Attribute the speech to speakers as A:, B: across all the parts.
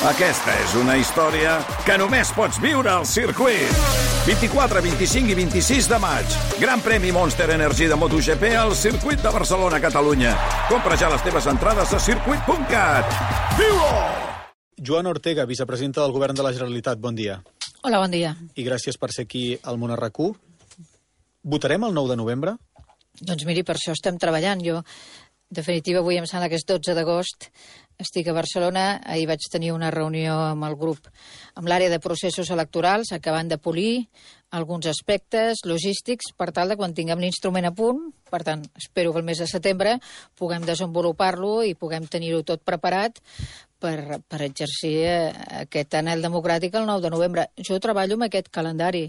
A: Aquesta és una història que només pots viure al circuit. 24, 25 i 26 de maig. Gran premi Monster Energy de MotoGP al circuit de Barcelona, Catalunya. Compra ja les teves entrades a circuit.cat. Viu-ho!
B: Joana Ortega, vicepresidenta del Govern de la Generalitat, bon dia.
C: Hola, bon dia.
B: I gràcies per ser aquí al Món RQ. Votarem el 9 de novembre?
C: Doncs miri, per això estem treballant. Jo, en definitiva, avui em sembla que és 12 d'agost, estic a Barcelona. Ahir vaig tenir una reunió amb el grup, amb l'àrea de processos electorals, acabant de polir alguns aspectes logístics per tal de quan tinguem l'instrument a punt. Per tant, espero que el mes de setembre puguem desenvolupar-lo i puguem tenir-ho tot preparat per exercir aquest anhel democràtic el 9 de novembre. Jo treballo amb aquest calendari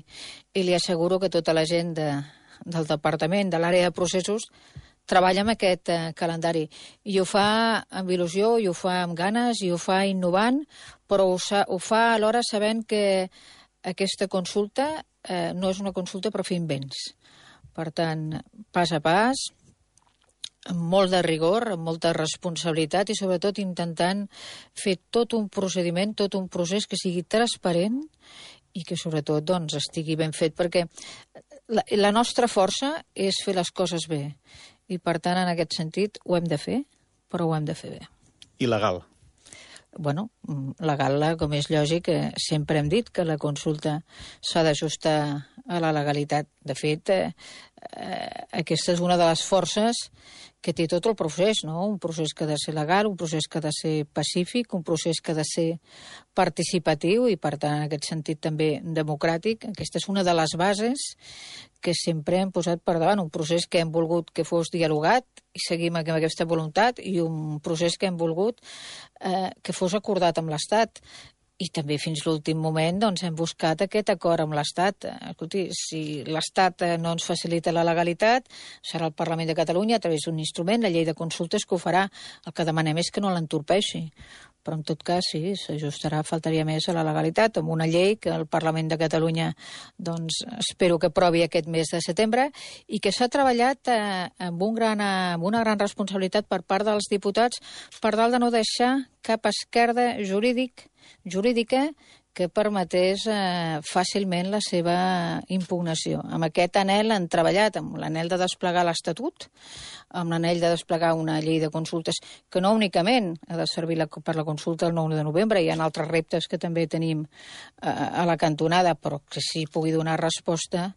C: i li asseguro que tota la gent del departament, de l'àrea de processos, treballa amb aquest calendari. I ho fa amb il·lusió, i ho fa amb ganes, i ho fa innovant, però ho fa alhora sabent que aquesta consulta no és una consulta per fer invents. Per tant, pas a pas, amb molt de rigor, amb molta responsabilitat i sobretot intentant fer tot un procediment, tot un procés que sigui transparent i que sobretot doncs, estigui ben fet, perquè la nostra força és fer les coses bé i per tant en aquest sentit ho hem de fer, però ho hem de fer bé.
B: I legal?
C: Bueno, legal, com és lògic, sempre hem dit que la consulta s'ha d'ajustar a la legalitat. De fet, aquesta és una de les forces que té tot el procés, no? Un procés que ha de ser legal, un procés que ha de ser pacífic, un procés que ha de ser participatiu i, per tant, en aquest sentit també democràtic. Aquesta és una de les bases que sempre hem posat per davant, un procés que hem volgut que fos dialogat i seguim amb aquesta voluntat i un procés que hem volgut que fos acordat amb l'Estat. I també fins l'últim moment doncs, hem buscat aquest acord amb l'Estat. Escolti, si l'Estat no ens facilita la legalitat, serà el Parlament de Catalunya a través d'un instrument, la llei de consultes, que ho farà. El que demanem és que no l'entorpeixi. Però en tot cas, sí, s'ajustarà, faltaria més, a la legalitat, amb una llei que el Parlament de Catalunya doncs, espero que aprovi aquest mes de setembre i que s'ha treballat amb una gran responsabilitat per part dels diputats per tal de no deixar cap esquerda jurídica que permetés fàcilment la seva impugnació. Amb aquest anhel han treballat, amb l'anhel de desplegar l'Estatut, amb l'anhel de desplegar una llei de consultes que no únicament ha de servir per la consulta el 9 de novembre, hi ha altres reptes que també tenim a la cantonada, però que sí pugui donar resposta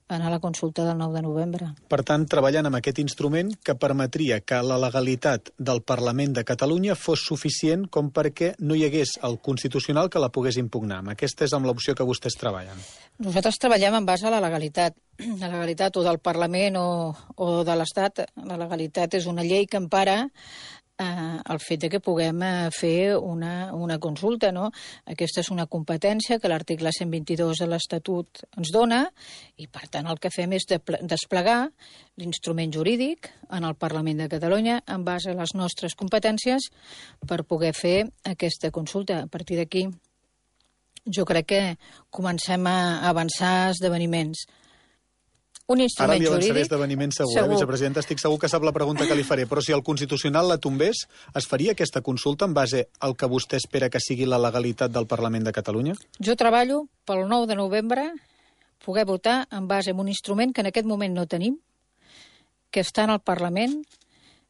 C: a la consulta del 9 de novembre.
B: Per tant, treballant amb aquest instrument que permetria que la legalitat del Parlament de Catalunya fos suficient com perquè no hi hagués el Constitucional que la pogués impugnar. Aquesta és amb l'opció que vostès treballen.
C: Nosaltres treballem en base a la legalitat. La legalitat o del Parlament o de l'Estat. La legalitat és una llei que empara el fet de que puguem fer una consulta, no? Aquesta és una competència que l'article 122 de l'Estatut ens dona i, per tant, el que fem és desplegar l'instrument jurídic en el Parlament de Catalunya en base a les nostres competències per poder fer aquesta consulta. A partir d'aquí, jo crec que comencem a avançar esdeveniments. Un instrument
B: jurídic... Ara li avançaré esdeveniments segur. Vicepresidenta, estic segur que sap la pregunta que li faré, però si el Constitucional la tombés, es faria aquesta consulta en base al que vostè espera que sigui la legalitat del Parlament de Catalunya?
C: Jo treballo pel 9 de novembre poder votar en base a un instrument que en aquest moment no tenim, que està en el Parlament,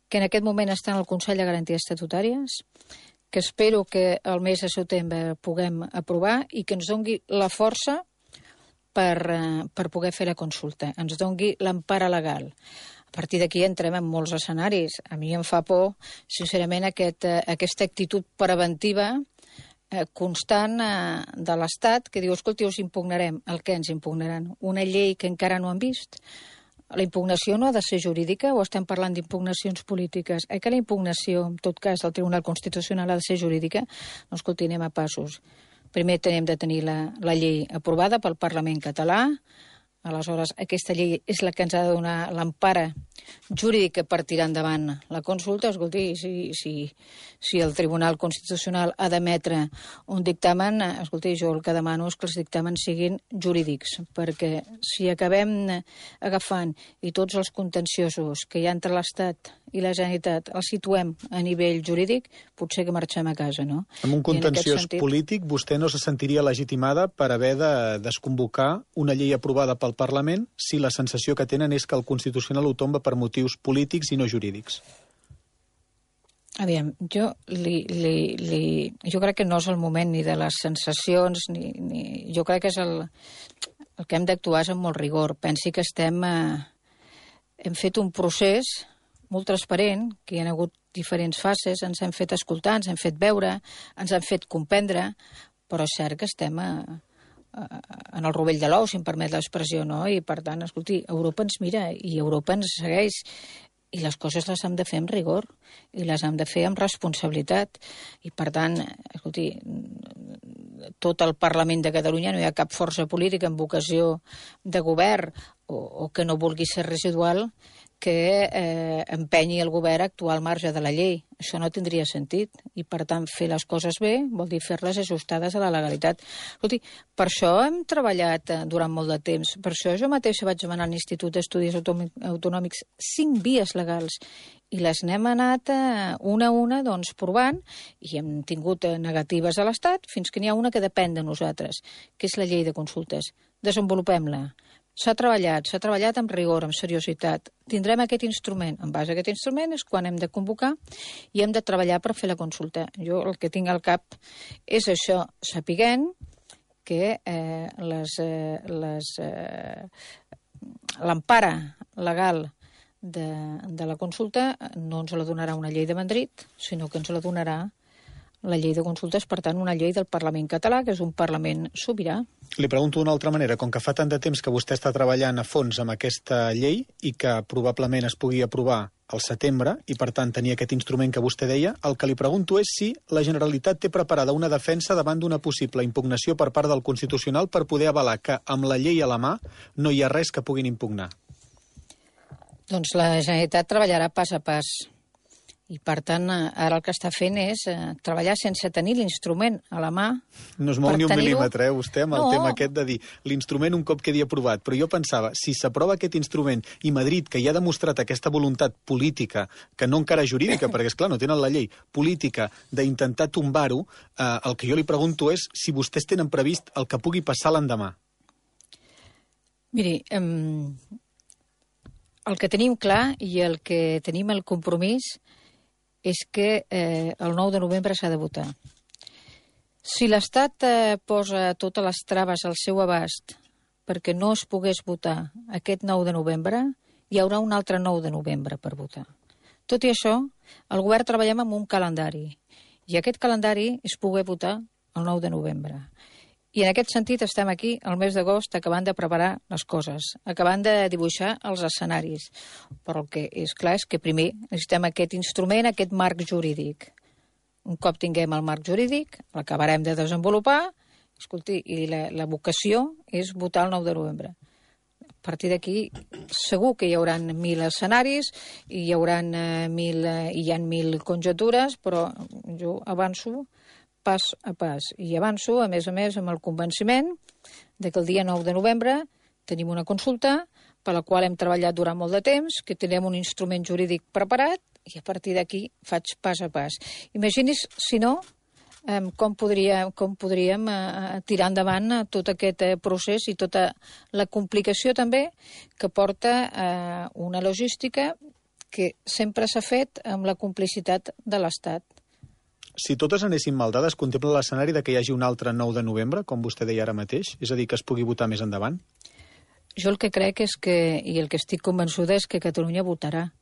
C: que en aquest moment està en el Consell de Garanties Estatutàries, que espero que el mes de setembre puguem aprovar i que ens dongui la força per poder fer la consulta, ens dongui l'empara legal. A partir d'aquí entrem en molts escenaris. A mi em fa por, sincerament, aquesta actitud preventiva constant de l'Estat que diu, escolti, us impugnarem. El què ens impugnaran? Una llei que encara no han vist? La impugnació no ha de ser jurídica o estem parlant d'impugnacions polítiques? Que la impugnació, en tot cas, del Tribunal Constitucional ha de ser jurídica? No, escolti, anem a passos. Primer hem de tenir la llei aprovada pel Parlament català. Aleshores, aquesta llei és la que ens ha de donar l'empara jurídica per tirar endavant la consulta. Escolti, si el Tribunal Constitucional ha d'emetre un dictamen, escolti, jo el que demano és que els dictàmens siguin jurídics, perquè si acabem agafant i tots els contenciosos que hi ha entre l'Estat i la Generalitat el situem a nivell jurídic, potser que marxem a casa, no?
B: En un contenciós polític, vostè no se sentiria legitimada per haver de desconvocar una llei aprovada pel Parlament si la sensació que tenen és que el Constitucional ho tomba per motius polítics i no jurídics.
C: Aviam, jo crec que no és el moment ni de les sensacions, ni jo crec que és el que hem d'actuar és amb molt rigor. Pensi que hem fet un procés molt transparent, que hi ha hagut diferents fases, ens hem fet escoltar, ens hem fet veure, ens hem fet comprendre, però és cert que estem en el rovell de l'ou, si em permet l'expressió, no? I, per tant, escolti, Europa ens mira i Europa ens segueix. I les coses les hem de fer amb rigor i les hem de fer amb responsabilitat. I, per tant, escolti, tot el Parlament de Catalunya, no hi ha cap força política amb vocació de govern o que no vulgui ser residual que empenyi el govern a actuar al marge de la llei. Això no tindria sentit. I, per tant, fer les coses bé vol dir fer-les ajustades a la legalitat. Escolti, per això hem treballat durant molt de temps. Per això jo mateixa vaig demanar a l'Institut d'Estudis Autonòmics 5 vies legals i les n'hem anat una a una doncs, provant i hem tingut negatives a l'Estat fins que n'hi ha una que depèn de nosaltres, que és la llei de consultes. Desenvolupem-la. S'ha treballat amb rigor, amb seriositat. Tindrem aquest instrument. En base a aquest instrument és quan hem de convocar i hem de treballar per fer la consulta. Jo el que tinc al cap és això, sapiguent que l'empara legal de la consulta no ens la donarà una llei de Madrid, sinó que ens la donarà la llei de consultes, per tant, una llei del Parlament català, que és un Parlament sobirà.
B: Li pregunto d'una altra manera. Com que fa tant de temps que vostè està treballant a fons amb aquesta llei i que probablement es pugui aprovar al setembre i, per tant, tenir aquest instrument que vostè deia, el que li pregunto és si la Generalitat té preparada una defensa davant d'una possible impugnació per part del Constitucional per poder avalar que amb la llei a la mà no hi ha res que puguin impugnar.
C: Doncs la Generalitat treballarà pas a pas. I, per tant, ara el que està fent és treballar sense tenir l'instrument a la mà.
B: No es mou ni un mil·límetre, vostè, amb el tema aquest de dir l'instrument un cop quedi aprovat. Però jo pensava, si s'aprova aquest instrument i Madrid, que ja ha demostrat aquesta voluntat política, que no encara jurídica, perquè, esclar, no tenen la llei, política, d'intentar tombar-ho, el que jo li pregunto és si vostès tenen previst el que pugui passar l'endemà.
C: Miri, el que tenim clar i el que tenim el compromís és que el 9 de novembre s'ha de votar. Si l'Estat posa totes les traves al seu abast perquè no es pogués votar aquest 9 de novembre, hi haurà un altre 9 de novembre per votar. Tot i això, el govern treballem amb un calendari, i aquest calendari és poder votar el 9 de novembre. I en aquest sentit estem aquí al mes d'agost acabant de preparar les coses, acabant de dibuixar els escenaris. Però el que és clar és que primer necessitem aquest instrument, aquest marc jurídic. Un cop tinguem el marc jurídic, l'acabarem de desenvolupar, escolti, i la vocació és votar el 9 de novembre. A partir d'aquí segur que hi haurà 1.000 escenaris, hi ha 1.000 conjectures, però jo avanço pas a pas. I avanço, a més, amb el convenciment de que el dia 9 de novembre tenim una consulta per la qual hem treballat durant molt de temps, que tenim un instrument jurídic preparat i a partir d'aquí faig pas a pas. Imagini's, si no, com podríem tirar endavant tot aquest procés i tota la complicació també que porta una logística que sempre s'ha fet amb la complicitat de l'Estat.
B: Si totes anessin mal dades, contempla l'escenari de que hi hagi un altre 9 de novembre, com vostè deia ara mateix? És a dir, que es pugui votar més endavant?
C: Jo el que crec és que, i el que estic convençuda és que Catalunya votarà.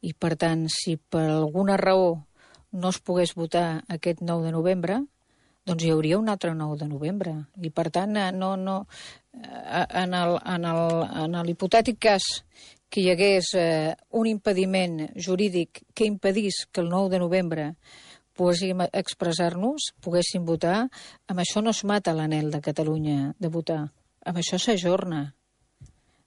C: I, per tant, si per alguna raó no es pogués votar aquest 9 de novembre, doncs hi hauria un altre 9 de novembre. I, per tant, en l'hipotètic cas que hi hagués un impediment jurídic que impedís que el 9 de novembre poguéssim expressar-nos, poguéssim votar, amb això no es mata l'anhel de Catalunya de votar. Amb això s'ajorna.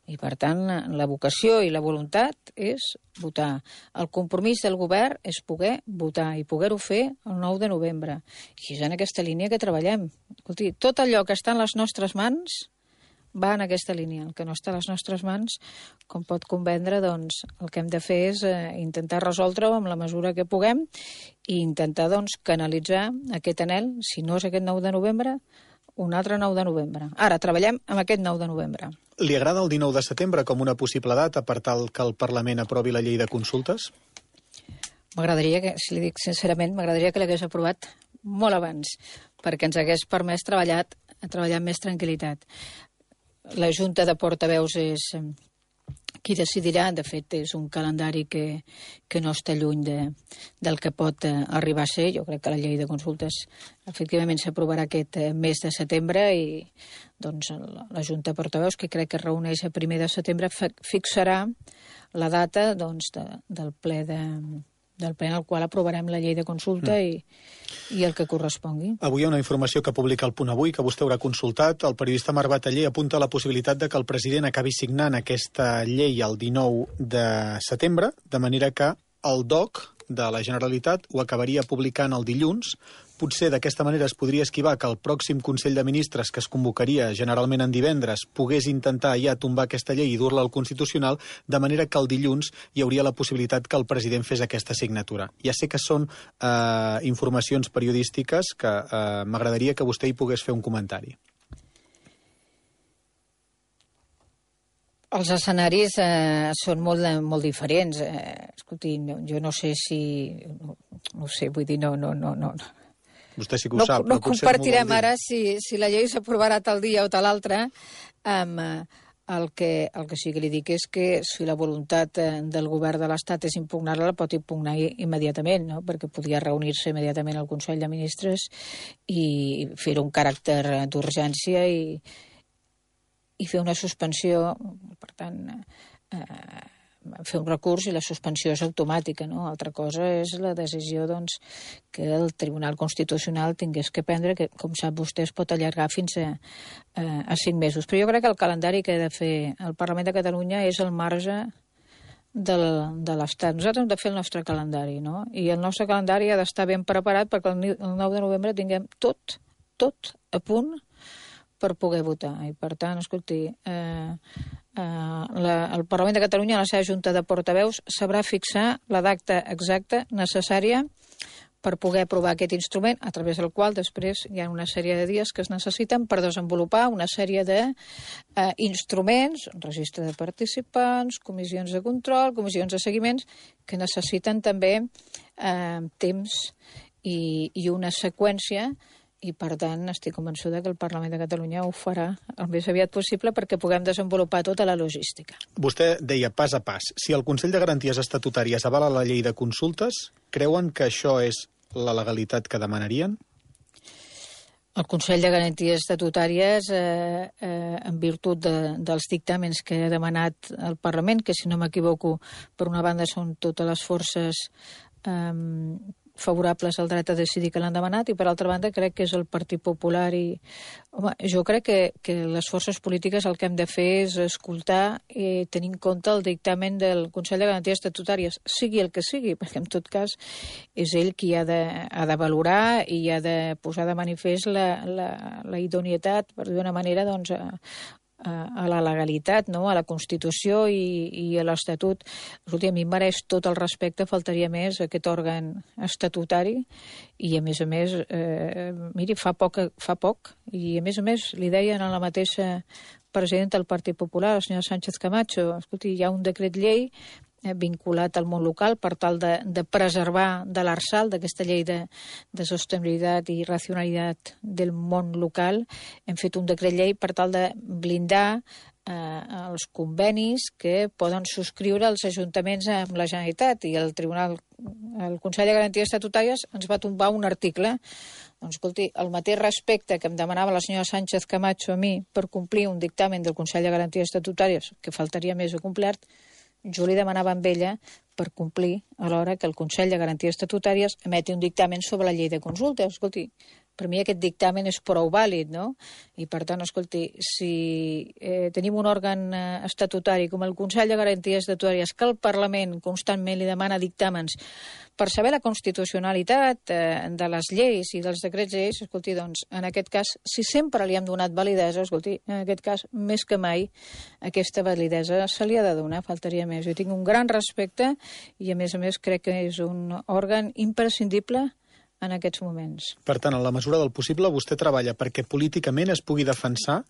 C: I, per tant, la vocació i la voluntat és votar. El compromís del govern és poder votar i poder-ho fer el 9 de novembre. I és en aquesta línia que treballem. Escolti, tot allò que està en les nostres mans, va en aquesta línia. El que no està a les nostres mans, com pot comprendre, doncs, el que hem de fer és intentar resoldre-ho amb la mesura que puguem i intentar doncs, canalitzar aquest anhel, si no és aquest 9 de novembre, un altre 9 de novembre. Ara, treballem amb aquest 9 de novembre.
B: Li agrada el 19 de setembre com una possible data per tal que el Parlament aprovi la llei de consultes?
C: M'agradaria que, si li dic sincerament, m'agradaria que l'hagués aprovat molt abans, perquè ens hagués permès treballar amb més tranquil·litat. La Junta de Portaveus és qui decidirà. De fet, és un calendari que no està lluny del que pot arribar a ser. Jo crec que la llei de consultes efectivament s'aprovarà aquest mes de setembre i doncs, la Junta de Portaveus, que crec que es reuneix a 1 de setembre, fixarà la data doncs, del ple en el qual aprovarem la llei de consulta i el que correspongui.
B: Avui hi ha una informació que publica el Punt Avui, que vostè haurà consultat. El periodista Marc Bataller apunta la possibilitat de que el president acabi signant aquesta llei el 19 de setembre, de manera que el DOC de la Generalitat ho acabaria publicant el dilluns. Potser d'aquesta manera es podria esquivar que el pròxim Consell de Ministres, que es convocaria generalment en divendres, pogués intentar ja tombar aquesta llei i dur-la al Constitucional, de manera que el dilluns hi hauria la possibilitat que el president fes aquesta signatura. Ja sé que són informacions periodístiques que m'agradaria que vostè hi pogués fer un comentari.
C: Els escenaris són molt diferents. Escolti, jo no sé si... No sé, vull dir, no.
B: Vostè sí que ho sap.
C: No compartirem ara si la llei s'aprovarà tal dia o tal altre. El que sí que li dic és que si la voluntat del govern de l'Estat és impugnar-la, la pot impugnar immediatament, no? Perquè podria reunir-se immediatament al Consell de Ministres i fer un caràcter d'urgència i fer una suspensió, per tant, fer un recurs i la suspensió és automàtica, no? Altra cosa és la decisió, doncs, que el Tribunal Constitucional tingués que prendre, que, com sap vostè, es pot allargar fins a 5 mesos. Però jo crec que el calendari que ha de fer el Parlament de Catalunya és el marge de l'Estat. Nosaltres hem de fer el nostre calendari, no? I el nostre calendari ha d'estar ben preparat perquè el 9 de novembre tinguem tot a punt per poder votar. I, per tant, escolti, el Parlament de Catalunya, la seva Junta de Portaveus, sabrà fixar la data exacta necessària per poder aprovar aquest instrument, a través del qual després hi ha una sèrie de dies que es necessiten per desenvolupar una sèrie d'instruments, registre de participants, comissions de control, comissions de seguiments, que necessiten també temps i una seqüència. I, per tant, estic convençuda que el Parlament de Catalunya ho farà el més aviat possible perquè puguem desenvolupar tota la logística.
B: Vostè deia pas a pas. Si el Consell de Garanties Estatutàries avala la llei de consultes, creuen que això és la legalitat que demanarien?
C: El Consell de Garanties Estatutàries, en virtut dels dictàmens que ha demanat el Parlament, que, si no m'equivoco, per una banda són totes les forces favorables al dret a decidir que l'han demanat, i per altra banda crec que és el Partit Popular i... Home, jo crec que les forces polítiques el que hem de fer és escoltar i tenir en compte el dictamen del Consell de Garanties Estatutàries, sigui el que sigui, perquè en tot cas és ell qui ha de valorar i ha de posar de manifest la idoneïtat, per dir d'una manera, doncs, a la legalitat, no? A la Constitució i a l'Estatut. Escolti, a mi em mereix tot el respecte, faltaria més, aquest òrgan estatutari, i a més, miri, fa poc, i a més li deien a la mateixa presidenta del Partit Popular, la senyora Sánchez Camacho, escolti, hi ha un decret llei vinculat al món local per tal de preservar de l'Arsal, d'aquesta llei de sostenibilitat i racionalitat del món local. Hem fet un decret llei per tal de blindar els convenis que poden subscriure els ajuntaments amb la Generalitat, i el Consell de Garanties Estatutàries ens va tombar un article. Doncs, escolti, el mateix respecte que em demanava la senyora Sánchez Camacho a mi per complir un dictamen del Consell de Garanties Estatutàries, que faltaria més o complert, jo li demanava amb ella per complir a l'hora que el Consell de Garanties Estatutàries emeti un dictamen sobre la llei de consultes. Escolti, per mi aquest dictamen és prou vàlid, no? I per tant, escolti, si tenim un òrgan estatutari com el Consell de Garanties Estatutàries que el Parlament constantment li demana dictàmens per saber la constitucionalitat de les lleis i dels decrets lleis, escolti, doncs, en aquest cas, si sempre li hem donat validesa, escolti, en aquest cas, més que mai, aquesta validesa se li ha de donar, faltaria més. Jo tinc un gran respecte i, a més, crec que és un òrgan imprescindible en aquests moments.
B: Per tant, en la mesura del possible, vostè treballa perquè políticament es pugui defensar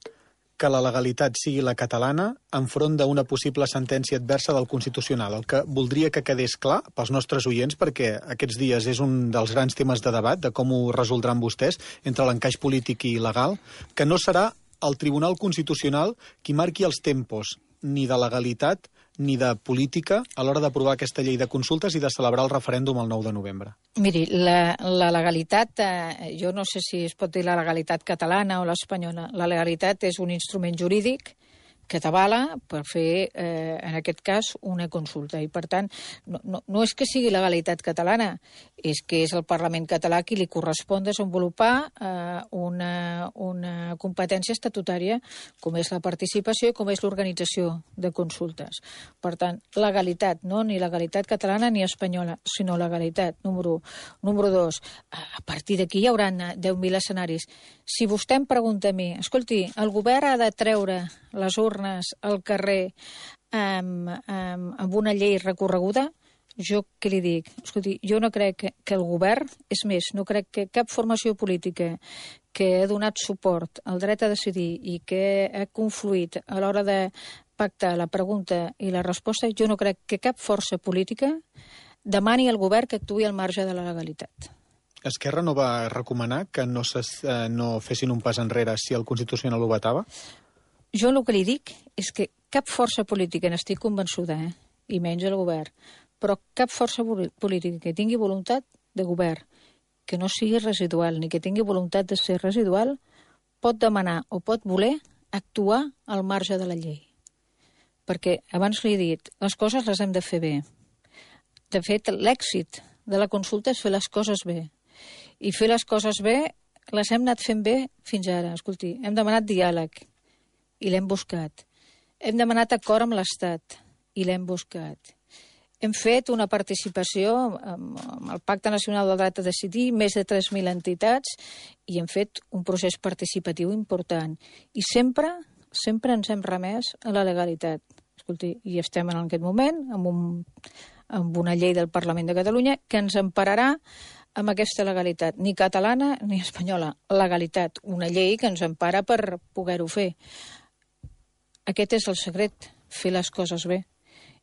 B: que la legalitat sigui la catalana enfront d'una possible sentència adversa del Constitucional. El que voldria que quedés clar pels nostres oients, perquè aquests dies és un dels grans temes de debat, de com ho resoldran vostès, entre l'encaix polític i legal, que no serà el Tribunal Constitucional qui marqui els tempos ni de legalitat ni de política a l'hora d'aprovar aquesta llei de consultes i de celebrar el referèndum el 9 de novembre.
C: Miri, la legalitat, jo no sé si es pot dir la legalitat catalana o l'espanyola. La legalitat és un instrument jurídic que t'avala per fer, en aquest cas, una consulta. I, per tant, no és que sigui legalitat catalana, és que és el Parlament català qui li correspon desenvolupar una competència estatutària com és la participació i com és l'organització de consultes. Per tant, legalitat, no ni legalitat catalana ni espanyola, sinó legalitat, número 1. Número 2, a partir d'aquí hi haurà 10.000 escenaris. Si vostè em pregunta a mi, escolti, el govern ha de treure les urnes al carrer amb una llei recorreguda, jo què li dic? Escolti, jo no crec que el govern, és més, no crec que cap formació política que ha donat suport al dret a decidir i que ha confluït a l'hora de pactar la pregunta i la resposta, jo no crec que cap força política demani al govern que actuï al marge de la legalitat.
B: Esquerra no va recomanar que no fessin un pas enrere si el Constitucional ho vetava?
C: Jo el que li dic és que cap força política, n'estic convençuda, i menys el govern, però cap força política que tingui voluntat de govern, que no sigui residual, ni que tingui voluntat de ser residual, pot demanar o pot voler actuar al marge de la llei. Perquè, abans li he dit, les coses les hem de fer bé. De fet, l'èxit de la consulta és fer les coses bé. I fer les coses bé les hem anat fent bé fins ara. Escolti, hem demanat diàleg i l'hem buscat. Hem demanat acord amb l'Estat i l'hem buscat. Hem fet una participació amb el Pacte Nacional del Dret a Decidir, més de 3.000 entitats, i hem fet un procés participatiu important. I sempre ens hem remès a la legalitat. Escolti, i estem en aquest moment amb una llei del Parlament de Catalunya que ens empararà amb aquesta legalitat, ni catalana ni espanyola. Legalitat, una llei que ens empara per poder-ho fer. Aquest és el secret, fer les coses bé.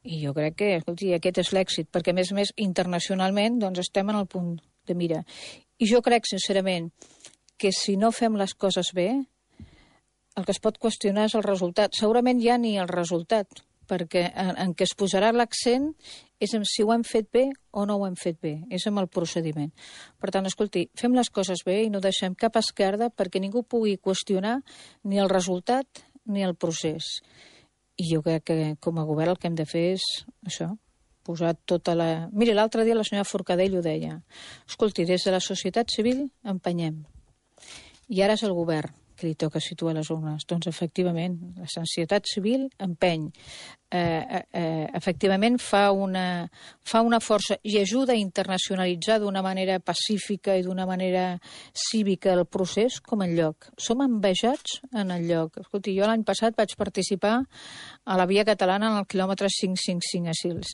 C: I jo crec que, escolti, aquest és l'èxit, perquè a més internacionalment doncs estem en el punt de mira. I jo crec, sincerament, que si no fem les coses bé, el que es pot qüestionar és el resultat. Segurament ja ni el resultat, perquè en què es posarà l'accent és en si ho hem fet bé o no ho hem fet bé, és amb el procediment. Per tant, escolti, fem les coses bé i no deixem cap esquerda perquè ningú pugui qüestionar ni el resultat ni el procés. I jo crec que com a govern el que hem de fer és això, posar tota la... Miri, l'altre dia la senyora Forcadell ho deia. Escolti, des de la societat civil empenyem. I ara és el govern que li toca situar les urnes. Doncs, efectivament, la societat civil empeny. Efectivament, fa una força i ajuda a internacionalitzar d'una manera pacífica i d'una manera cívica el procés com en lloc. Som envejats en el lloc. Escolti, jo l'any passat vaig participar a la via catalana en el quilòmetre 555 a Sils.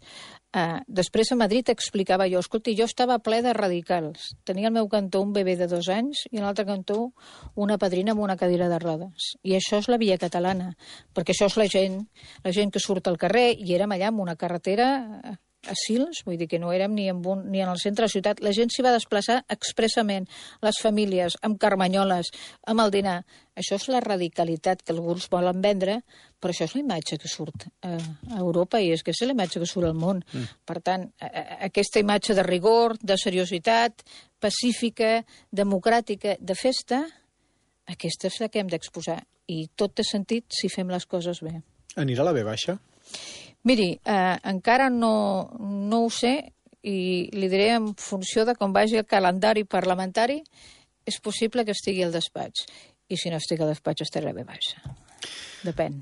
C: Després a Madrid explicava jo, escolti, jo estava ple de radicals. Tenia al meu cantó un bebè de 2 anys i a l'altre cantó una padrina amb una cadira de rodes. I això és la via catalana, perquè això és la gent que surt al carrer, i érem allà amb una carretera a Sils, vull dir que no érem ni en el centre de la ciutat. La gent s'hi va desplaçar expressament, les famílies, amb carmanyoles, amb el dinar. Això és la radicalitat que alguns volen vendre, però això és la imatge que surt a Europa i és que és la imatge que surt al món. Per tant, aquesta imatge de rigor, de seriositat, pacífica, democràtica, de festa, aquesta és la que hem d'exposar. I tot té sentit si fem les coses bé.
B: Anirà la B baixa?
C: Miri, encara no ho sé i li diré en funció de com vagi el calendari parlamentari. és possible que estigui al despatx. I si no estic al despatx estaré bé baixa. Depèn.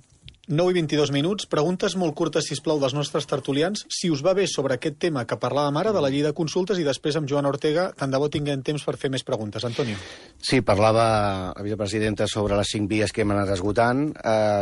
B: 9 i 22 minuts. Preguntes molt curtes, sisplau, dels nostres tertulians. Si us va bé sobre aquest tema que parlàvem ara, de la llei de consultes, i després amb Joan Ortega, tant de bo tinguem temps per fer més preguntes. Antonio.
D: Sí, parlava la vicepresidenta sobre les 5 vies que hem anat esgotant.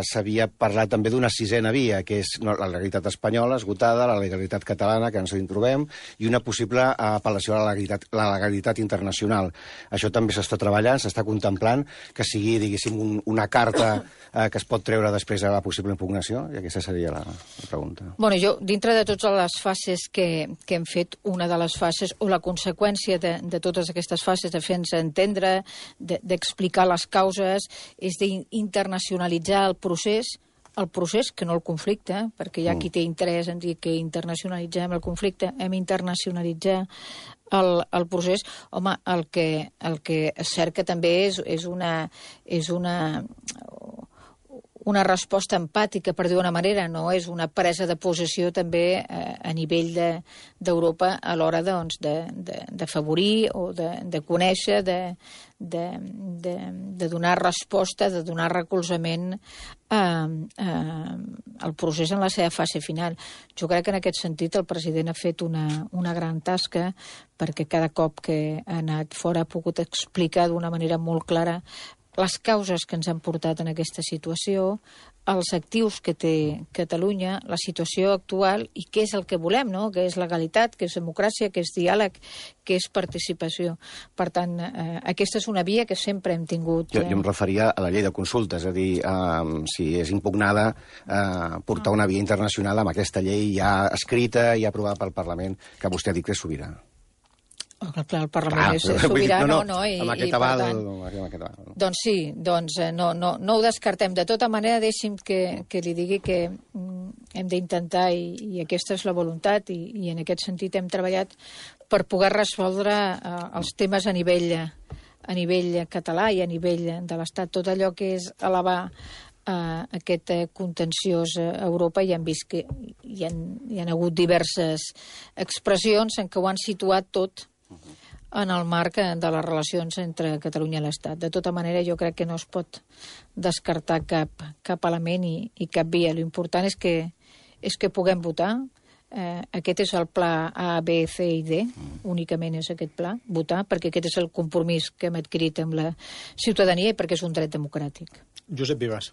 D: S'havia parlat també d'una 6ena via, que és la legalitat espanyola esgotada, la legalitat catalana, que ens hi trobem, i una possible apel·lació a la legalitat internacional. Això també s'està treballant, s'està contemplant que sigui, diguéssim, una carta que es pot treure després a la possible impugnació, i aquesta seria la pregunta.
C: Bueno, jo, dintre de totes les fases que hem fet, una de les fases, o la conseqüència de totes aquestes fases, de fer-nos entendre, d'explicar les causes, és d'internacionalitzar el procés, que no el conflicte, perquè hi ha qui té interès en dir que internacionalitzem el conflicte, hem d'internacionalitzar el procés. Home, el que és cert que també és una resposta empàtica, per dir-ho d'una manera, no és una presa de possessió també a nivell d'Europa a l'hora d'afavorir o de conèixer, de donar resposta, de donar recolzament al procés en la seva fase final. Jo crec que en aquest sentit el president ha fet una gran tasca, perquè cada cop que ha anat fora ha pogut explicar d'una manera molt clara les causes que ens han portat en aquesta situació, els actius que té Catalunya, la situació actual i què és el que volem, no? Què és legalitat, què és democràcia, què és diàleg, què és participació. Per tant, aquesta és una via que sempre hem tingut...
D: Jo em referia a la llei de consultes, és a dir, si és impugnada, portar una via internacional amb aquesta llei ja escrita i aprovada pel Parlament, que vostè ha dit que és sobirà.
C: Clar, el Parlament és sobirà, no?
D: Amb aquest aval...
C: Doncs sí, no ho descartem. De tota manera, deixi'm que li digui que hem d'intentar, i aquesta és la voluntat, i en aquest sentit hem treballat per poder resoldre els temes a nivell català i a nivell de l'Estat. Tot allò que és elevar aquest contenciós a Europa, i hem vist que hi han hagut diverses expressions en què ho han situat tot en el marc de les relacions entre Catalunya i l'Estat. De tota manera, jo crec que no es pot descartar cap element i cap via. L'important és que puguem votar. Aquest és el pla A, B, C i D. Únicament és aquest pla, votar, perquè aquest és el compromís que hem adquirit amb la ciutadania i perquè és un dret democràtic.
B: Josep Vives.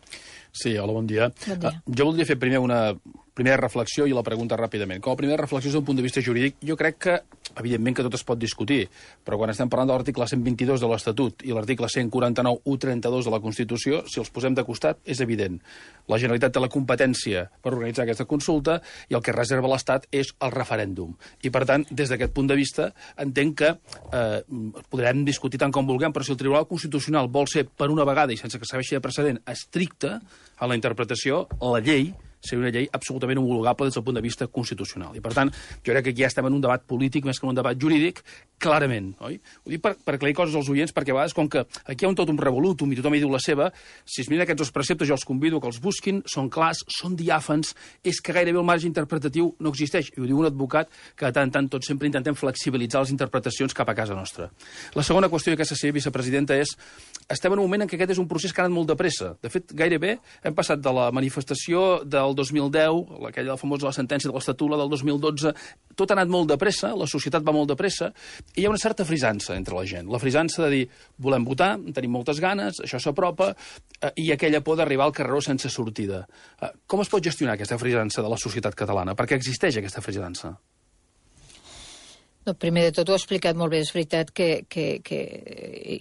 E: Sí, hola, bon dia.
C: Bon dia.
E: Jo voldria fer primer una primera reflexió i la pregunta ràpidament. Com a primera reflexió des d'un punt de vista jurídic, jo crec que, evidentment, que tot es pot discutir, però quan estem parlant de l'article 122 de l'Estatut i l'article 149.1.32 de la Constitució, si els posem de costat, és evident. La Generalitat té la competència per organitzar aquesta consulta i el que reserva l'Estat és el referèndum. I, per tant, des d'aquest punt de vista, entenc que podrem discutir tant com vulguem, però si el Tribunal Constitucional vol ser, per una vegada i sense que serveixi de precedent, estricte a la interpretació, la llei seria una llei absolutament homologable des del punt de vista constitucional. I, per tant, jo crec que aquí ja estem en un debat polític més que en un debat jurídic, clarament, oi? Ho dic per aclarir coses als oients, perquè a vegades, com que aquí hi ha tot un revolutum i tothom hi diu la seva, si es miren aquests dos preceptes, jo els convido que els busquin, són clars, són diàfans, és que gairebé el marge interpretatiu no existeix. I ho diu un advocat que de tant en tant tots sempre intentem flexibilitzar les interpretacions cap a casa nostra. La segona qüestió d'aquesta vicepresidenta és: estem en un moment en què aquest és un procés que ha anat molt de pressa. De fet, gairebé hem passat de la manifestació del 2010, aquella famosa la sentència de l'Estatut, la del 2012, tot ha anat molt de pressa, la societat va molt de pressa, i hi ha una certa frisança entre la gent. La frisança de dir, volem votar, tenim moltes ganes, això s'apropa, i aquella por d'arribar al carreró sense sortida. Com es pot gestionar aquesta frisança de la societat catalana? Per què existeix aquesta frisança?
C: No, primer de tot ho ha explicat molt bé. És veritat que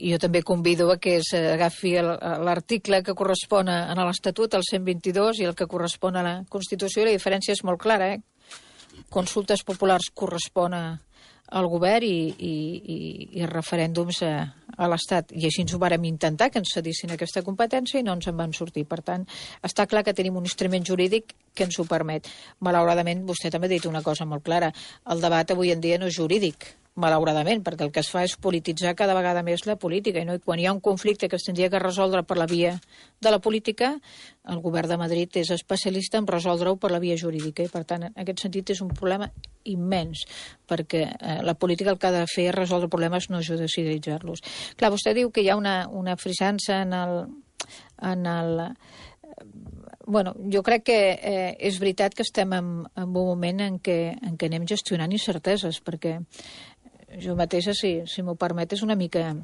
C: jo també convido a que s'agafi l'article que correspon a l'Estatut, el 122, i el que correspon a la Constitució. La diferència és molt clara, Consultes populars correspon al govern i referèndums a l'Estat. I així ens ho vàrem intentar, que ens cedissin aquesta competència, i no ens en van sortir. Per tant, està clar que tenim un instrument jurídic que ens ho permet. Malauradament, vostè també ha dit una cosa molt clara. El debat avui en dia no és jurídic. malauradament, perquè el que es fa és polititzar cada vegada més la política, no? I quan hi ha un conflicte que es tindria que resoldre per la via de la política, el govern de Madrid és especialista en resoldre-ho per la via jurídica, i per tant, en aquest sentit és un problema immens, perquè la política el que ha de fer és resoldre problemes, no judicialitzar-los. Clar, vostè diu que hi ha una frisança en el Bueno, jo crec que és veritat que estem en un moment en què anem gestionant incerteses, perquè jo mateixa, si m'ho permet, és una mica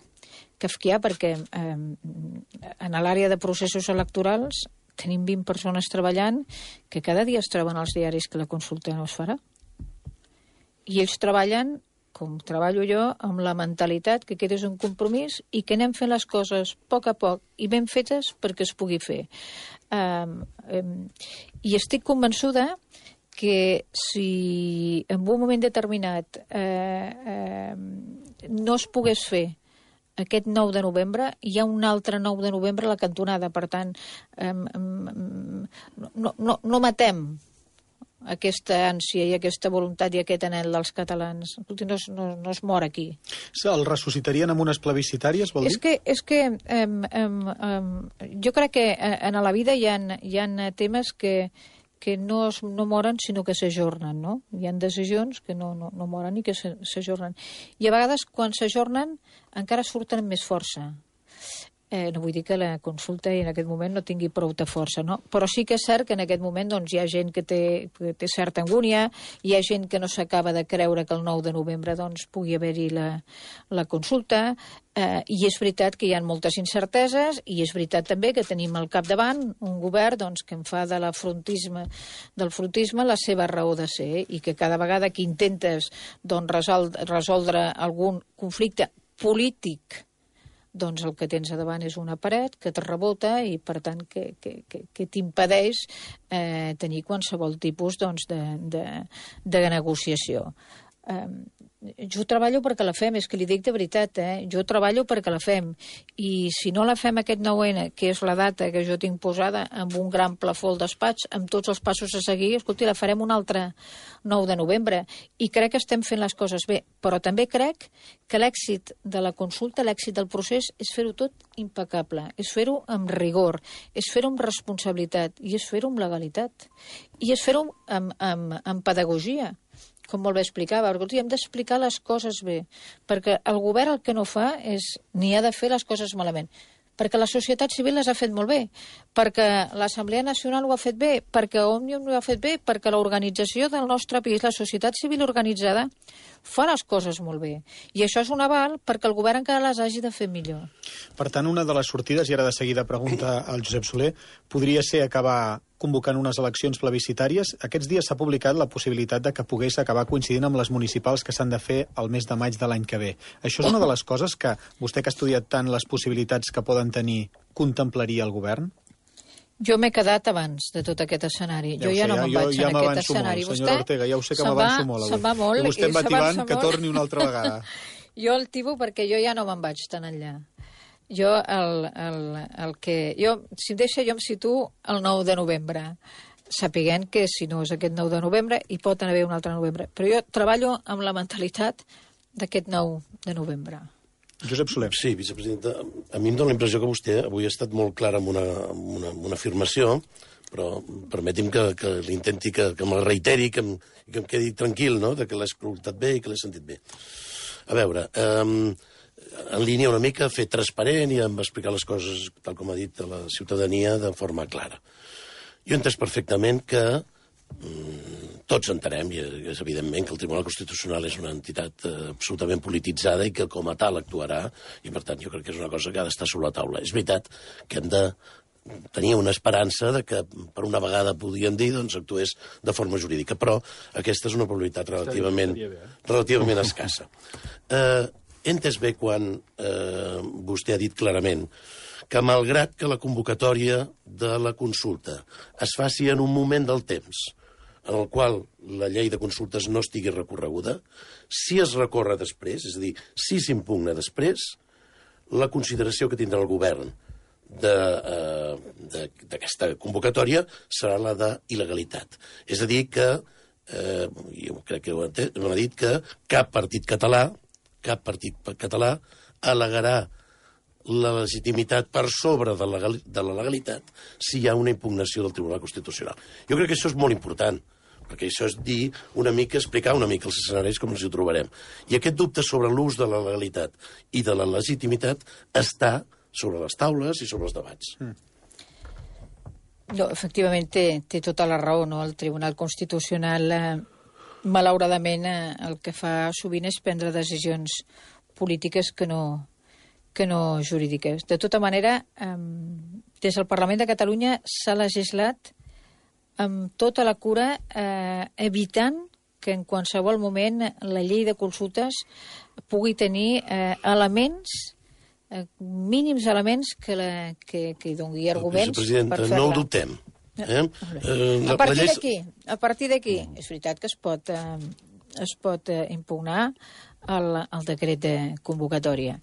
C: kafkià, perquè en l'àrea de processos electorals tenim 20 persones treballant que cada dia es troben als diaris que la consulta no es farà. I ells treballen, com treballo jo, amb la mentalitat que aquest és un compromís i que anem fent les coses a poc i ben fetes perquè es pugui fer. I estic convençuda que si en un moment determinat no es pogués fer aquest 9 de novembre, hi ha un altre 9 de novembre a la cantonada. Per tant, no matem aquesta ànsia i aquesta voluntat i aquest anhel dels catalans. No es mor aquí.
B: El ressuscitarien amb unes plebiscitàries, vol dir?
C: És que jo crec que en la vida hi ha temes que no moren, sinó que s'ajornen, no? Hi ha decisions que no moren i que s'ajornen. I a vegades, quan s'ajornen, encara surten amb més força. No vull dir que la consulta en aquest moment no tingui prou de força, no? Però sí que és cert que en aquest moment hi ha gent que té certa angúnia, hi ha gent que no s'acaba de creure que el 9 de novembre pugui haver-hi la consulta, i és veritat que hi ha moltes incerteses, i és veritat també que tenim al capdavant un govern que en fa del frontisme la seva raó de ser, i que cada vegada que intentes resoldre algun conflicte polític, el que tens a davant és una paret que et rebota i, per tant, que t'impedeix tenir qualsevol tipus de negociació. Jo treballo perquè la fem, és que li dic de veritat, jo treballo perquè la fem, i si no la fem aquest 9N, que és la data que jo tinc posada amb un gran plafó al despatx, amb tots els passos a seguir, escolti, la farem un altre 9 de novembre, i crec que estem fent les coses bé, però també crec que l'èxit de la consulta, l'èxit del procés, és fer-ho tot impecable, és fer-ho amb rigor, és fer-ho amb responsabilitat, i és fer-ho amb legalitat, i és fer-ho amb pedagogia, com molt bé explicava, perquè hem d'explicar les coses bé, perquè el govern el que no fa és ni ha de fer les coses malament, perquè la societat civil les ha fet molt bé, perquè l'Assemblea Nacional ho ha fet bé, perquè Òmnium ho ha fet bé, perquè l'organització del nostre país, la societat civil organitzada, fa les coses molt bé. I això és un aval perquè el govern encara les hagi de fer millor.
B: Per tant, una de les sortides, i ara de seguida pregunta al Josep Soler, podria ser acabar convocant unes eleccions plebiscitàries. Aquests dies s'ha publicat la possibilitat de que pogués acabar coincidint amb les municipals que s'han de fer el mes de maig de l'any que ve. Això és una de les coses que vostè, que ha estudiat tant les possibilitats que poden tenir, contemplaria el govern?
C: Jo m'he quedat abans de tot aquest escenari. Jo ja no me'n vaig en aquest escenari.
B: Molt, senyora Ortega, ja ho sé que m'avanço molt.
C: Se'n va molt.
B: I vostè em va tibant que torni una altra vegada.
C: Jo el tibo perquè jo ja no me'n vaig tan enllà. Jo, si em deixa, jo em situo el 9 de novembre, sapiguent que si no és aquest 9 de novembre, hi pot haver un altre novembre. Però jo treballo amb la mentalitat d'aquest 9 de novembre.
B: Josep Soler.
F: Sí, vicepresidenta, a mi em dóna la impressió que vostè avui ha estat molt clara amb una afirmació, però permeti'm que l'intenti, que me'l reiteri, que em quedi tranquil, no?, de que l'he escoltat bé i que l'he sentit bé. A veure, en línia una mica, fer transparent i em va explicar les coses, tal com ha dit, a la ciutadania de forma clara. Jo he entès perfectament que tots entenem, i és evidentment, que el Tribunal Constitucional és una entitat absolutament polititzada i que com a tal actuarà, i per tant jo crec que és una cosa que ha d'estar sobre la taula. És veritat que hem de tenir una esperança de que per una vegada podríem dir actués de forma jurídica, però aquesta és una probabilitat relativament escassa. He entès bé quan vostè ha dit clarament que malgrat que la convocatòria de la consulta es faci en un moment del temps en el qual la llei de consultes no estigui recorreguda, si es recorre després, és a dir, si s'impugna després, la consideració que tindrà el govern d'aquesta convocatòria serà la d'il·legalitat. És a dir, que jo crec que m'ha dit que cap partit català al·legarà la legitimitat per sobre de la legalitat si hi ha una impugnació del Tribunal Constitucional. Jo crec que això és molt important, perquè això és dir una mica, explicar una mica els escenaris com ens hi trobarem. I aquest dubte sobre l'ús de la legalitat i de la legitimitat està sobre les taules i sobre els debats.
C: No, efectivament, té tota la raó, no? El Tribunal Constitucional, malauradament, el que fa sovint és prendre decisions polítiques que no jurídiques. De tota manera, des del Parlament de Catalunya s'ha legislat amb tota la cura, evitant que en qualsevol moment la llei de consultes pugui tenir elements, mínims elements que hi doni arguments per fer-la.
F: No ho dubtem.
C: A partir d'aquí, és veritat que es pot impugnar el decret de convocatòria.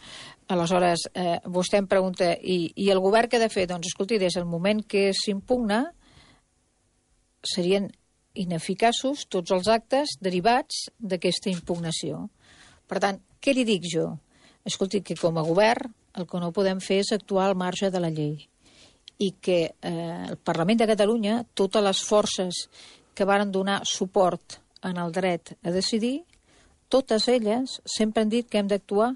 C: Aleshores, vostè em pregunta, i el govern què ha de fer? Doncs, escolti, des del moment que s'impugna, serien ineficaços tots els actes derivats d'aquesta impugnació. Per tant, què li dic jo? Escolti, que com a govern el que no podem fer és actuar al marge de la llei i que el Parlament de Catalunya, totes les forces que varen donar suport en el dret a decidir, totes elles sempre han dit que hem d'actuar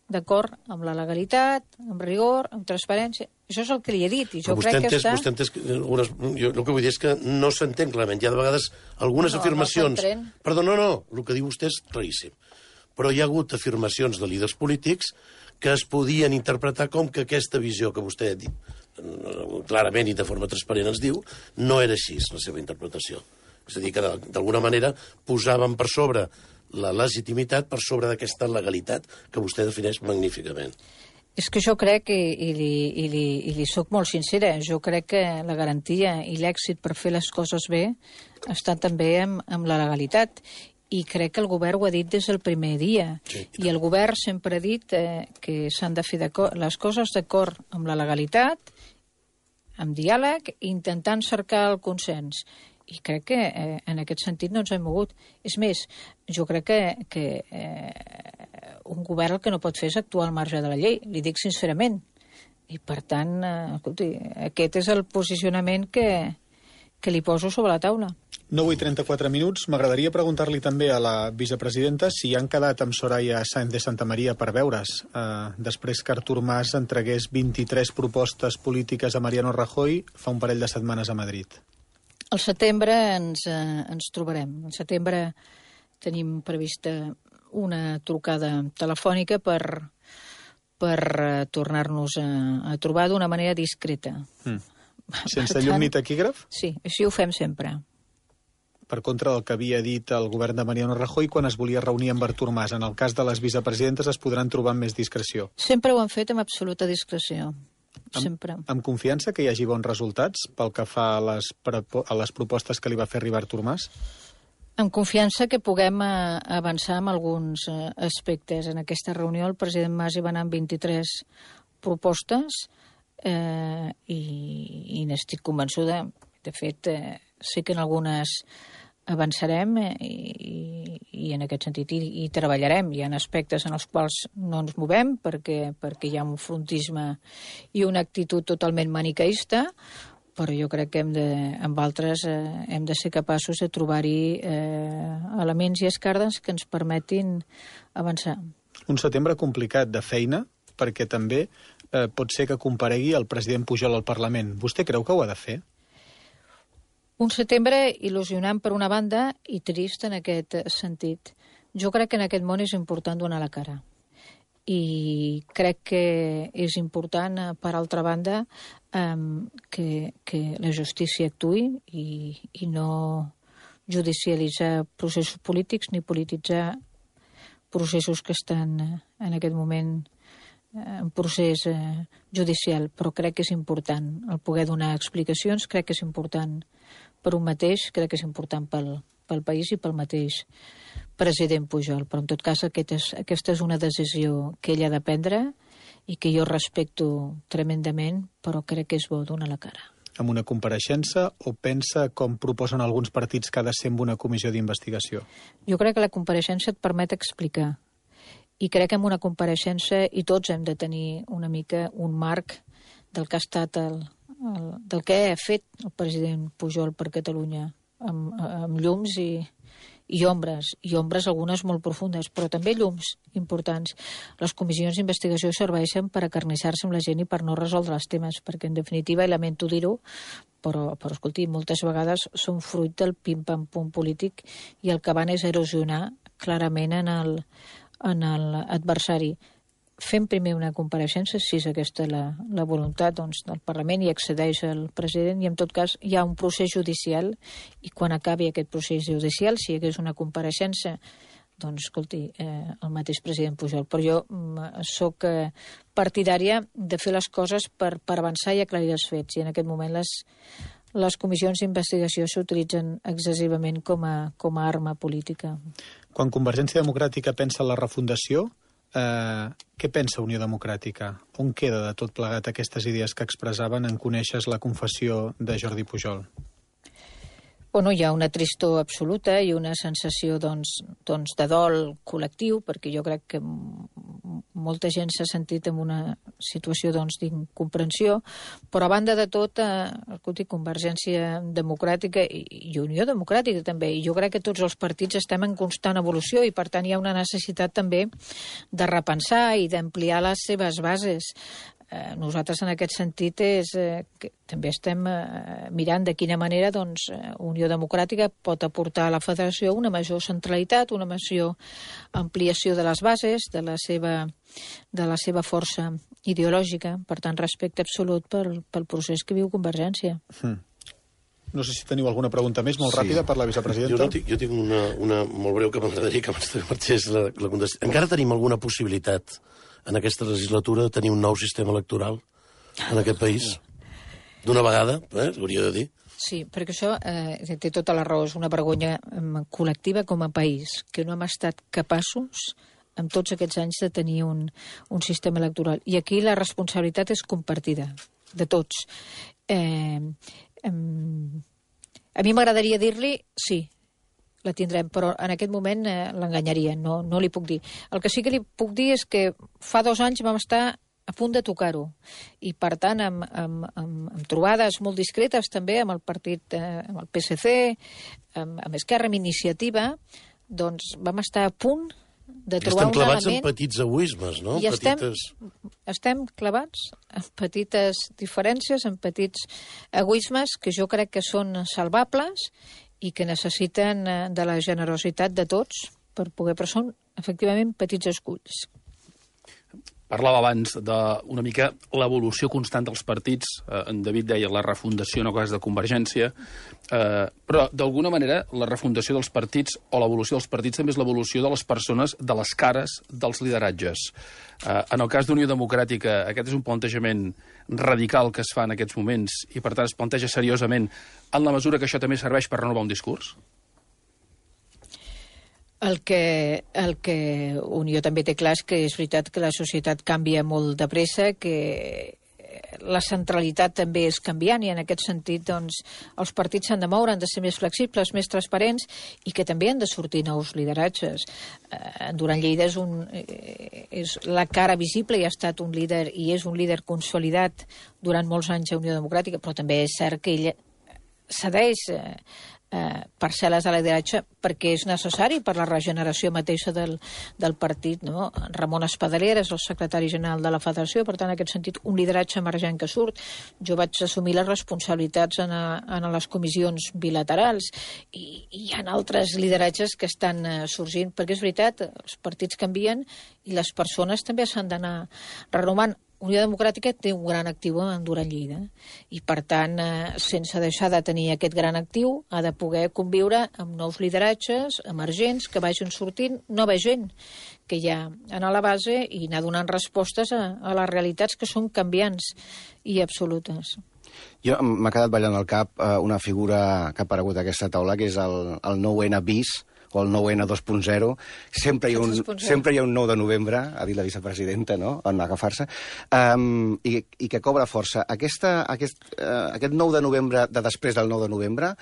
C: d'acord amb la legalitat, amb rigor, amb transparència. Això és el que li he dit, i jo crec que està...
F: Vostè entès jo el que vull dir és que no s'entén clarament. Hi ha de vegades algunes afirmacions... Perdó, no, el que diu vostè és claríssim. Però hi ha hagut afirmacions de líders polítics que es podien interpretar com que aquesta visió que vostè ha dit clarament i de forma transparent ens diu, no era així la seva interpretació. És a dir, que d'alguna manera posaven per sobre la legitimitat per sobre d'aquesta legalitat que vostè defineix magníficament.
C: És que jo crec, i li soc molt sincera, jo crec que la garantia i l'èxit per fer les coses bé està també amb la legalitat. I crec que el govern ho ha dit des del primer dia. Sí. I el govern sempre ha dit que s'han de fer les coses d'acord amb la legalitat, amb diàleg, intentant cercar el consens. I crec que en aquest sentit no ens hem mogut. És més, jo crec que un govern el que no pot fer és actuar al marge de la llei, li dic sincerament. I per tant, escolti, aquest és el posicionament que li poso sobre la taula.
B: 9:34 minuts. M'agradaria preguntar-li també a la vicepresidenta si han quedat amb Soraya Sáenz de Santamaría per veure's després que Artur Mas entregués 23 propostes polítiques a Mariano Rajoy fa un parell de setmanes a Madrid.
C: Al setembre ens trobarem. Al setembre tenim prevista una trucada telefònica per tornar-nos a trobar d'una manera discreta.
B: Sense llum ni taquígraf?
C: Sí, així ho fem sempre.
B: Per contra del que havia dit el govern de Mariano Rajoy quan es volia reunir amb Artur Mas. En el cas de les vicepresidentes es podran trobar amb més discreció.
C: Sempre ho han fet amb absoluta discreció. Sempre.
B: Amb confiança que hi hagi bons resultats pel que fa a les propostes que li va fer arribar Artur Mas?
C: Amb confiança que puguem avançar en alguns aspectes. En aquesta reunió el president Mas hi va anar amb 23 propostes i n'estic convençuda. De fet, sé que en algunes avançarem i en aquest sentit hi treballarem. Hi ha aspectes en els quals no ens movem perquè hi ha un frontisme i una actitud totalment maniqueista, però jo crec que amb altres hem de ser capaços de trobar-hi elements i escardes que ens permetin avançar.
B: Un setembre complicat de feina, perquè també pot ser que comparegui el president Pujol al Parlament. Vostè creu que ho ha de fer?
C: Un setembre il·lusionant per una banda i trist en aquest sentit. Jo crec que en aquest món és important donar la cara. I crec que és important, per altra banda, que la justícia actuï i no judicialitzar processos polítics ni polititzar processos que estan en aquest moment en procés judicial. Però crec que és important el poder donar explicacions, crec que és important per un mateix, crec que és important pel país i pel mateix president Pujol. Però en tot cas aquesta és una decisió que ell ha de prendre i que jo respecto tremendament, però crec que és bo donar la cara.
B: amb una compareixença o pensa, com proposen alguns partits, que ha de ser amb una comissió d'investigació?
C: Jo crec que la compareixença et permet explicar. I crec que en una compareixença, i tots hem de tenir una mica un marc del que ha estat del que ha fet el president Pujol per Catalunya, amb llums i ombres algunes molt profundes, però també llums importants. Les comissions d'investigació serveixen per acarnissar-se amb la gent i per no resoldre els temes, perquè en definitiva, i lamento dir-ho, però escolti, moltes vegades són fruit del pim-pam-pum polític i el que van és erosionar clarament en l'adversari. Fem primer una compareixença, si és aquesta la voluntat del Parlament, i accedeix el president, i en tot cas hi ha un procés judicial, i quan acabi aquest procés judicial, si hi hagués una compareixença, doncs, escolti, el mateix president Pujol. Però jo sóc partidària de fer les coses per avançar i aclarir els fets, i en aquest moment les comissions d'investigació s'utilitzen excessivament com a arma política.
B: Quan Convergència Democràtica pensa en la refundació, què pensa Unió Democràtica? On queda de tot plegat aquestes idees que expressaven en conèixer la confessió de Jordi Pujol?
C: Bueno, hi ha una tristor absoluta i una sensació de dol col·lectiu, perquè jo crec que molta gent s'ha sentit en una situació d'incomprensió, però a banda de tot, escolti, Convergència Democràtica i Unió Democràtica també, i jo crec que tots els partits estem en constant evolució i per tant hi ha una necessitat també de repensar i d'ampliar les seves bases. Nosaltres en aquest sentit que també estem mirant de quina manera Unió Democràtica pot aportar a la federació una major centralitat, una major ampliació de les bases, de la seva força ideològica, per tant respecte absolut pel procés que viu Convergència.
B: No sé si teniu alguna pregunta més, molt ràpida, per la vicepresidenta.
F: Jo tinc una molt breu que m'agradaria que marxés la contestació. Encara tenim alguna possibilitat en aquesta legislatura de tenir un nou sistema electoral en aquest país? D'una vegada, hauria de dir.
C: Sí, perquè això té tota la raó, és una vergonya col·lectiva com a país, que no hem estat capaços en tots aquests anys de tenir un sistema electoral. I aquí la responsabilitat és compartida, de tots. A mi m'agradaria dir-li sí, la tindrem, però en aquest moment l'enganyaria, no li puc dir. El que sí que li puc dir és que fa 2 anys vam estar a punt de tocar-ho, i per tant amb trobades molt discretes també amb el partit, amb el PSC, amb Esquerra, amb Iniciativa, doncs vam estar a punt de trobar un element...
F: Estem clavats en petits egoismes, no?
C: I estem clavats en petites diferències, en petits egoismes que jo crec que són salvables i que necessiten de la generositat de tots per poder... Però són, efectivament, petits esculls.
E: Parlava abans d'una mica l'evolució constant dels partits. En David deia la refundació, no cas de Convergència. Però, d'alguna manera, la refundació dels partits o l'evolució dels partits també és l'evolució de les persones, de les cares dels lideratges. En el cas d'Unió Democràtica, aquest és un plantejament radical que es fa en aquests moments i, per tant, es planteja seriosament en la mesura que això també serveix per renovar un discurs?
C: El que Unió també té clar és que és veritat que la societat canvia molt de pressa, que la centralitat també és canviant i en aquest sentit doncs, els partits s'han de moure, han de ser més flexibles, més transparents i que també han de sortir nous lideratges. Duran Lleida és la cara visible i ha estat un líder i és un líder consolidat durant molts anys a Unió Democràtica, però també és cert que ell cedeix parcel·les de lideratge perquè és necessari per la regeneració mateixa del partit, no? Ramon Espadaler és el secretari general de la federació, per tant, en aquest sentit, un lideratge emergent que surt. Jo vaig assumir les responsabilitats en les comissions bilaterals i hi ha altres lideratges que estan sorgint, perquè és veritat, els partits canvien i les persones també s'han d'anar renovant. Unió Democràtica té un gran actiu en Duran Lleida i, per tant, sense deixar de tenir aquest gran actiu, ha de poder conviure amb nous lideratges emergents que vagin sortint nova gent que hi ha a la base i anar donant respostes a les realitats que són canviants i absolutes.
D: Jo m'ha quedat ballant al cap una figura que ha aparegut a aquesta taula, que és el 9N bis, o el 9N 2.0, sempre hi ha un 9 de novembre, ha dit la vicepresidenta, no?, en agafar-se, i que cobra força. Aquest 9 de novembre, de després del 9 de novembre,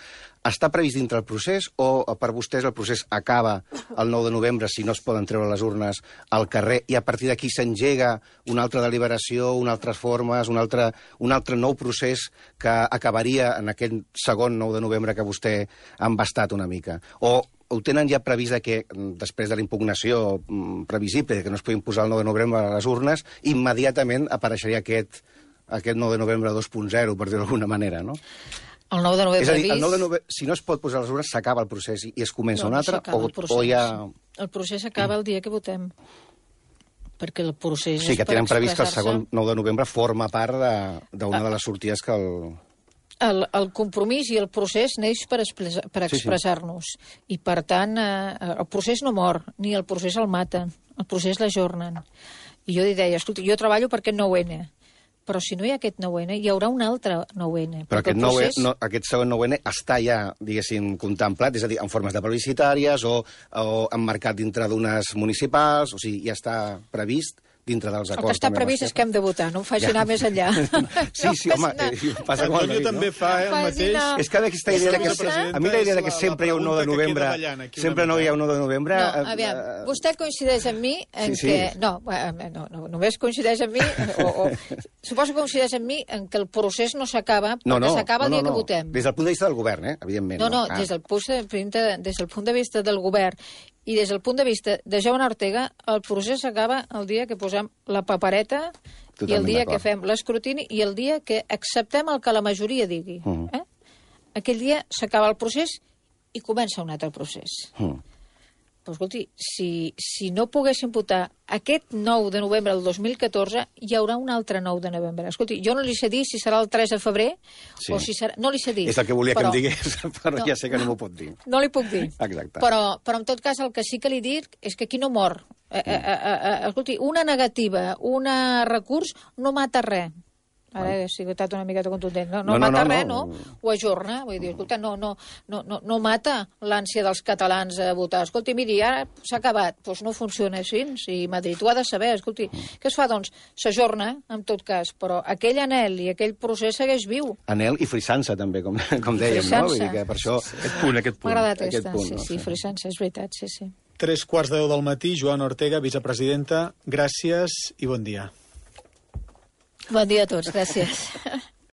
D: està previst dintre el procés o per vostès el procés acaba el 9 de novembre si no es poden treure les urnes al carrer i a partir d'aquí s'engega una altra deliberació, unes altres formes, un altre nou procés que acabaria en aquell segon 9 de novembre que vostè ha embastat una mica? O ho tenen ja previst que després de la impugnació previsible que no es puguin posar el 9 de novembre a les urnes, immediatament apareixeria aquest 9 de novembre 2.0, per dir-ho d'alguna manera, no?
C: El 9 de novembre
D: és a dir, el 9 de novembre, si no es pot posar les urnes, s'acaba el procés i es comença un altre? O hi ha...
C: El procés acaba el dia que votem. Perquè el procés...
D: Sí, que tenen previst que el segon 9 de novembre forma part d'una de les sortides que el...
C: El compromís i el procés neix per expressar-nos. I, per tant, el procés no mor, ni el procés el maten. El procés l'ajornen. I jo li deia, escolta, jo treballo per aquest 9N, però si no hi ha aquest 9N, hi haurà un altre 9N.
D: Però aquest segon 9N està ja, diguéssim, contemplat, és a dir, en formes de plebiscitàries o emmarcat dintre d'unes municipals, o sigui, ja està previst dintre dels acords.
C: El que està previst és que hem de votar, no em faci anar més enllà.
D: Sí, home, passa com el David,
B: també fa el mateix.
D: És que aquesta idea que... A mi la idea que sempre hi ha un 9 de novembre... Sempre no hi ha un 9 de novembre...
C: No, aviam, vostè coincideix amb mi en que... No, només coincideix amb mi... Suposo que coincideix amb mi en que el procés no s'acaba, perquè s'acaba el dia que votem.
D: Des del punt de vista del govern, evidentment.
C: No, des del punt de vista del govern i des del punt de vista de Jaume Ortega, el procés s'acaba el dia que posem la papereta i el dia que fem l'escrutini i el dia que acceptem el que la majoria digui. Aquell dia s'acaba el procés i comença un altre procés. Però, escolti, si no poguéssim votar aquest 9 de novembre del 2014, hi haurà un altre 9 de novembre. Escolti, jo no li sé dir si serà el 3 de febrer o si serà... No li sé dir.
D: És el que volia que em digués, però ja sé que no m'ho pot dir.
C: No li puc dir.
D: Exacte.
C: Però, en tot cas, el que sí que li dic és que aquí no mor. Escolti, una negativa, un recurs no mata res. Ara he estat una miqueta contundent. No mata res, no? Ho ajorna. Vull dir, escolta, no mata l'ànsia dels catalans a votar. Escolti, miri, ara s'ha acabat. Doncs no funciona així. I Madrid ho ha de saber. Escolti, què es fa? Doncs s'ajorna, en tot cas. Però aquell anhel i aquell procés segueix viu.
D: Anhel i frisança, també, com dèiem, no? Vull dir que per això...
E: Aquest punt.
C: M'ha agradat aquesta. Sí, frisança, és veritat, sí.
B: 3:15 del matí, Joan Ortega, vicepresidenta, gràcies i bon dia.
C: Bon dia a tots, gràcies.